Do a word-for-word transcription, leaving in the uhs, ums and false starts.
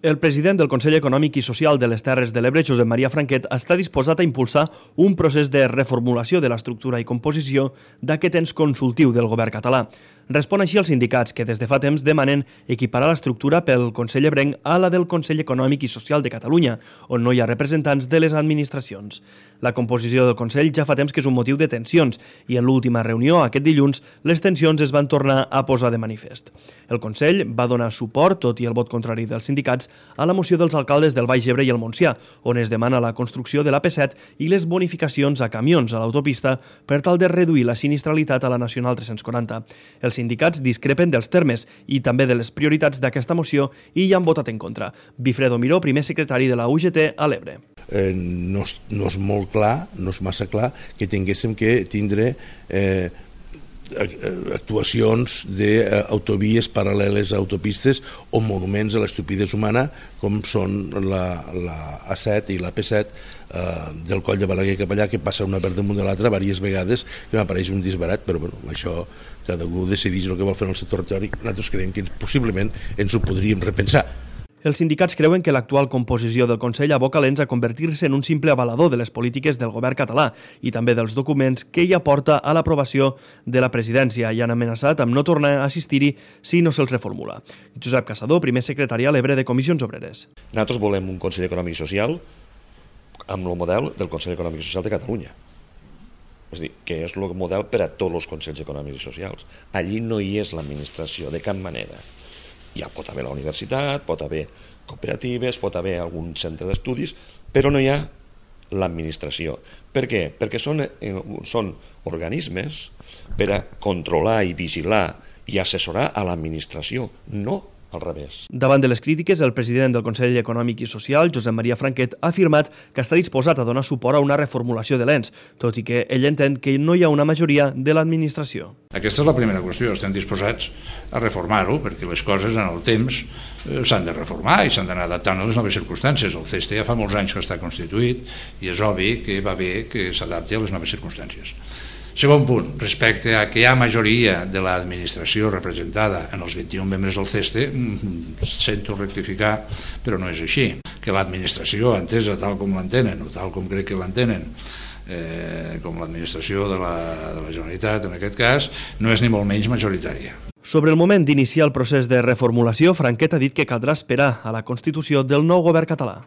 El president del Consell Econòmic i Social de les Terres de l'Ebre, Josep Maria Franquet, està disposat a impulsar un procés de reformulació de l'estructura i composició d'aquest ens consultiu del govern català. Respon així als sindicats que des de fa temps demanen equiparar l'estructura pel Consell Ebrenc a la del Consell Econòmic i Social de Catalunya, on no hi ha representants de les administracions. La composició del Consell ja fa temps que és un motiu de tensions i en l'última reunió, aquest dilluns, les tensions es van tornar a posar de manifest. El Consell va donar suport, tot i el vot contrari dels sindicats, a la moció dels alcaldes del Baix Ebre i el Montsià, on es demana la construcció de l'A P set i les bonificacions a camions a l'autopista per tal de reduir la sinistralitat a la Nacional tres-cents quaranta. Els sindicats discrepen dels termes i també de les prioritats d'aquesta moció i hi han votat en contra. Bifredo Miró, primer secretari de la U G T a l'Ebre. Eh, no, és, no és molt clar, no és massa clar que tinguéssim que tindre eh, actuacions d'autovies paral·leles a autopistes o monuments a l'estupidesa humana com són la, la A set i la P set eh, del Coll de Balaguer cap allà, que passa una per damunt de l'altra diverses vegades, que m'apareix un disbarat, però bueno, això cada un decideix el que vol fer en el seu territori. Nosaltres creiem que possiblement ens ho podríem repensar. Els sindicats creuen que l'actual composició del Consell aboca l'ens a convertir-se en un simple avalador de les polítiques del govern català i també dels documents que hi aporta a l'aprovació de la presidència i han amenaçat amb no tornar a assistir-hi si no se'ls reformula. Josep Caçador, primer secretari a l'Ebre de Comissions Obreres. Nosaltres volem un Consell Econòmic i Social amb el model del Consell Econòmic i Social de Catalunya. És a dir, que és el model per a tots els Consells Econòmics i Socials. Allí no hi és l'administració de cap manera. Ja pot haver la universitat, pot haver cooperatives, pot haver algun centre d'estudis, però no hi ha l'administració. Per què? Perquè són, eh, són organismes per a controlar i vigilar i assessorar a l'administració, no al revés. Davant de les crítiques, el president del Consell Econòmic i Social, Josep Maria Franquet, ha afirmat que està disposat a donar suport a una reformulació de l'ens, tot i que ell entén que no hi ha una majoria de l'administració. Aquesta és la primera qüestió, estem disposats a reformar-ho, perquè les coses en el temps s'han de reformar i s'han d'anar adaptant a les noves circumstàncies. El C E S T ja fa molts anys que està constituït i és obvi que va bé que s'adapti a les noves circumstàncies. Segon punt, respecte a que hi ha majoria de l'administració representada en els vint-i-un membres del C E S T, sento rectificar, però no és així. Que l'administració, entesa tal com l'entenen, o tal com crec que l'entenen, eh, com l'administració de la, de la Generalitat, en aquest cas, no és ni molt menys majoritària. Sobre el moment d'iniciar el procés de reformulació, Franquet ha dit que caldrà esperar a la constitució del nou govern català.